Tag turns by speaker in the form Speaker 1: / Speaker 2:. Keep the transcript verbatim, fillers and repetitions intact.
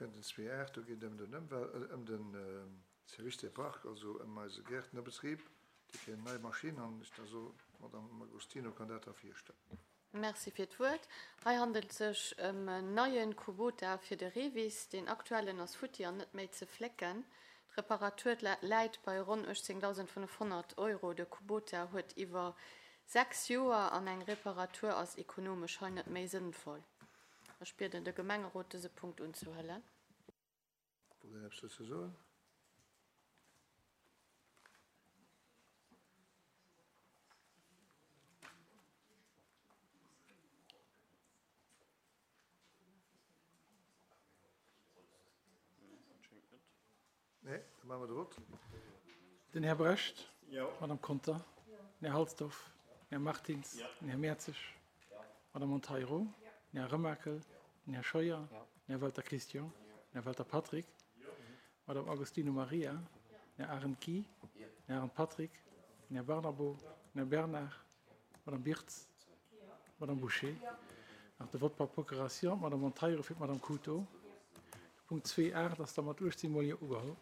Speaker 1: kënnt den zwee aacht, do geet et ëm den Ëmwel-, ëm de Service des Parcs, also ëm eise Gäertnerbetrib. Déi kréien eng nei Maschinn an ech da soen, d'Madame Agostino kann dat da virstellen.
Speaker 2: Merci fir d'Wuert. Hei handelt sech ëm en neien Kubota fir de REVIS. Deen aktuellen ass futti an net méi ze flécken. D'Reparatur läit bei ronn uechtzéngdausendfënnefhonnert Euro. De Kubota huet iwwer sechs Joer an eng Reparatur ass ekonomesch hei net méi sënnvoll. Ech bieden de Gemengerot dëse Punkt unzehuelen.
Speaker 1: Wollt een eppes dozou soen? Nee, da maache mer de Vott.
Speaker 3: Den Här Brecht. D'Madame Conter. Den Här Halsdorf. Den Här Martins. Den Här Mertzig. D'Madame Monteiro. Den Här Remakel. Den Här Scheuer. Den Här Welter Christian. Den Här Welter Patrick. D'Madame Agostino Maria. Den Här Arendt Guy. Den Här Arendt Patrick. Den Här Barnabo. Den Här Bernard. D'Madame Birtz. D'Madame Bouché. Nach de Vote par procuration, d'Madame Monteiro fir d'Madame Couto. De Punkt zwee aacht ass da mat uechtzéng Mol Jo ugeholl.